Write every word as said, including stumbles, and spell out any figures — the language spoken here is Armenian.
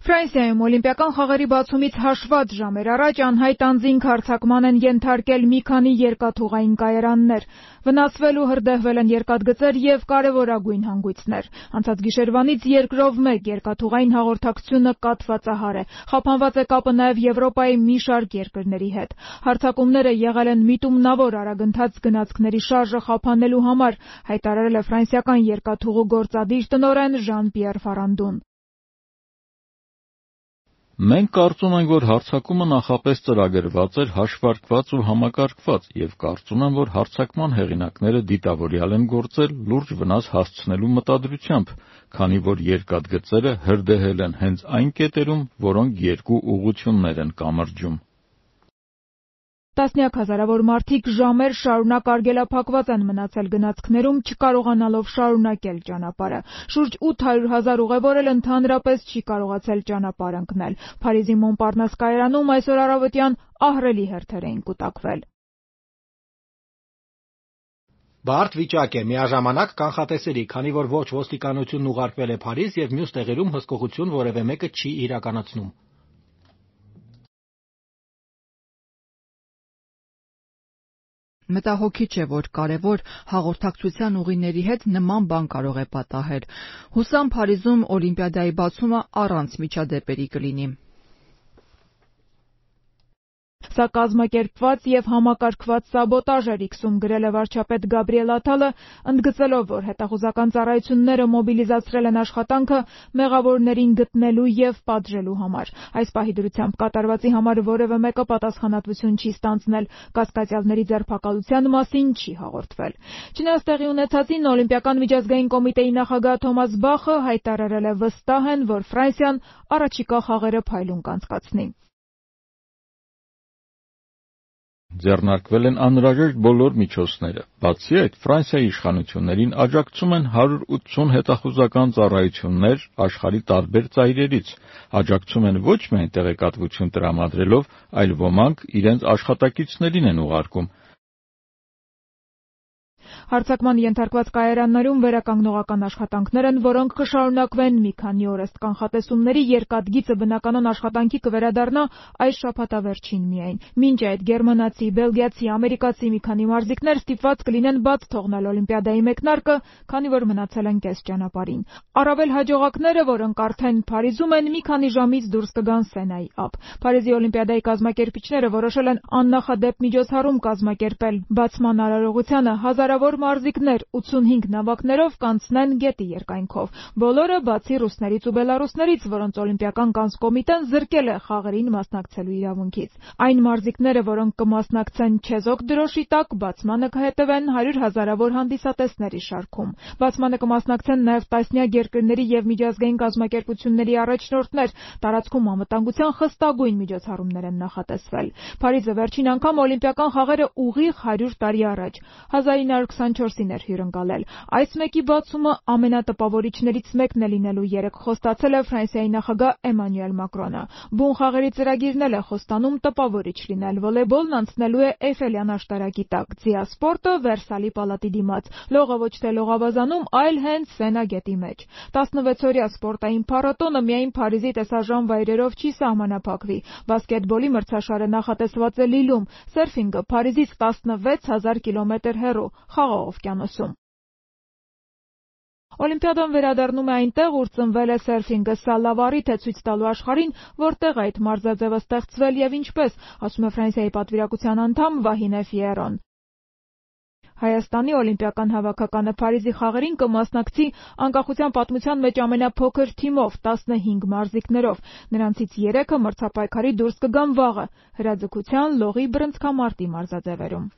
Ֆրանսիայում օլիմպիական խաղերի բացումից հաշված ժամեր առաջ անհայտ անձինք հարձակման են ենթարկել մի քանի երկաթուղային կայարաններ։ Վնասվել ու հրդեհվել են երկաթգծեր և կարևորագույն հանգույցներ։ Անցած գիշերվանից երկրով մեկ երկաթուղային հաղորդակցությունը կաթվածահար է։ Խափանված է կապը նաև Եվրոպայի մի շարք երկրների հետ։ Հարձակումները եղել են միտումնավոր արագընթաց գնացքների շարժը խափանելու համար, հայտարարել է ֆրանսիական երկաթուղու գործադիր տնօրեն Ժան-Պիեր Ֆարանդուն։ Մենք կարծում ենք, որ հարձակումը նախապես ծրագրված էր, հաշվարկված ու համակարգված, և կարծում եմ, որ հարձակման հեղինակները դիտավորյալ են գործել լուրջ վնաս հասցնելու մտադրությամբ, քանի որ երկաթգծերը հրդեհել են հենց այն կետերում, որոնք երկու ուղղություններ են կամրջում։ Տասնյակ հազարավոր մարդիկ ժամեր շարունակ արգելափակված են մնացել գնացքներում, չկարողանալով շարունակել ճանապարհը։ Շուրջ ութ հարյուր հազար ուղևոր էլ ընդհանրապես չի կարողացել ճանապարհ ընկնել։ Փարիզի Մոնպարնաս կայարանում այսօր առավոտյան ահռելի հերթեր էին կուտակվել։ Բարդ վիճակ է, միաժամանակ կանխատեսելի, քանի որ ոչ ոստիկանությունն ուղարկվել է Փարիզ և մյուս տեղերում հսկողություն որևէ մեկը չի իրականացնում։ Մտահոգիչ է, որ կարևոր հաղորդակցության ուղիների հետ նման բան կարող է պատահել։ Հուսամ Փարիզում Օլիմպիադայի բացումը առանց միջադեպերի կլինի։ Սա կազմակերպված և համակարգված սաբոտաժ էր իքսում գրել է վարչապետ Գաբրիել Աթալը, ընդգծելով, որ հետախուզական ծառայությունները մոբիլիզացրել են աշխատանքը մեղավորներին գտնելու և պատժելու համար։ Այս պահի դրությամբ կատարվածի համար որևէ մեկը պատասխանատվություն չի ստանձնել, կասկածյալների ձերբակալության մասին չի հաղորդվել։ Չնայած տեղի ունեցածին, Օլիմպիական միջազգային կոմիտեի նախագահ Թոմաս Բախը հայտարարել է վստահ են, որ Ֆրանսիան առաջիկա խաղերը փայլուն կանցկացնի։ Ձեռնարկվել են անհրաժեշտ բոլոր միջոցները։ Բացի այդ, Ֆրանսիայի իշխանություններին աջակցում են հարյուր ութսուն հետախուզական ծառայություններ աշխարհի տարբեր ծայրերից։ Աջակցում են ոչ միայն տեղեկատվություն տրամադրելով, այլ ոմանք իրենց աշխատակիցներին են ուղարկում։ Հարձակման ենթարկված կայարաններում վերականգնողական աշխատանքներ են, որոնք կշարունակվեն մի քանի օր ըստ կանխատեսումների երկաթգիծը բնականոն աշխատանքի կվերադառնա այս շաբաթավերջին միայն։ Մինչ այդ գերմանացի, բելգիացի, ամերիկացի մի քանի մարզիկներ ստիպված կլինեն բաց թողնել Օլիմպիադայի մեկնարկը, քանի որ մնացել են կես ճանապարհին։ Առավել հաջողակները, որոնք արդեն Փարիզում են, մի քանի ժամից դուրս կգան Սենայի ափ։ Փարիզի Օլիմպիադայի կազմակերպիչները որոշել են աննախադեպ միջոցառում կազմակերպել բացման արարողությանը հազարավոր մարզիկներ ութսունհինգ նավակներով կանցնեն գետի երկայնքով։ Բոլորը բացի ռուսներից ու բելառուսներից, որոնց օլիմպիական կանցկոմիտեն զրկել է խաղերին մասնակցելու իրավունքից։ Այն մարզիկները, որոնք կմասնակցեն չեզոք դրոշի տակ, բացմանը կհետևեն հարյուր հազարավոր հանդիսատեսների շարքում։ Բացմանը կմասնակցեն նաև տասնյակ երկրների և միջազգային կազմակերպությունների առաջնորդներ։ Տարածքում անվտանգության խստագույն միջոցառումներ են նախատեսվել։ Փարիզը վերջին անգամ օլիմպիական խաղերը ուղիղ հարյուր տարի առաջ հազար ինը հարյուր քսանչորսին էր հյուրընկալել։ Այս մեկի բացումը ամենատպավորիչներից մեկն է լինելու երեկ խոստացել է Ֆրանսիայի նախագահ Էմանուել Մակրոնը։ Բուն խաղերի ծրագիրն էլ է խոստանում տպավորիչ լինել։ Վոլեյբոլն անցնելու է Էյֆելյան աշտարակի տակ, ձիասպորտը Վերսալի պալատի դիմաց, լողը ոչ թե լողավազանում, այլ հենց Սենա գետի մեջ։ տասնվեցօրյա սպորտային փառատոնը միայն Փարիզի տեսարժան վայրերով չի սահմանափակվի։ Բասկետբոլի մրցաշարը նախատեսված է Լիլում, սերֆինգը Փարիզից տասնվեց հազար կիլոմետր հեռու Խաղաղ օվկիանոսում։ Օլիմպիադան վերադառնում է այնտեղ, ուր ծնվել է սերֆինգը։ Սա լավ առիթ է ցույց տալու աշխարհին, որտեղ այդ մարզաձևը ստեղծվել և ինչպես, ասում է Ֆրանսիայի պատվիրակության անդամ Վահինե Ֆիերոն։ Հայաստանի օլիմպիական հավաքականը Փարիզի խաղերին կմասնակցի անկախության պատմության մեջ ամենափոքր թիմով՝ տասնհինգ մարզիկներով։ Նրանցից երեքը մրցապայքարի դուրս կգան վաղը հրաձգության, լողի, բռնցքամարտի մարզաձևերում։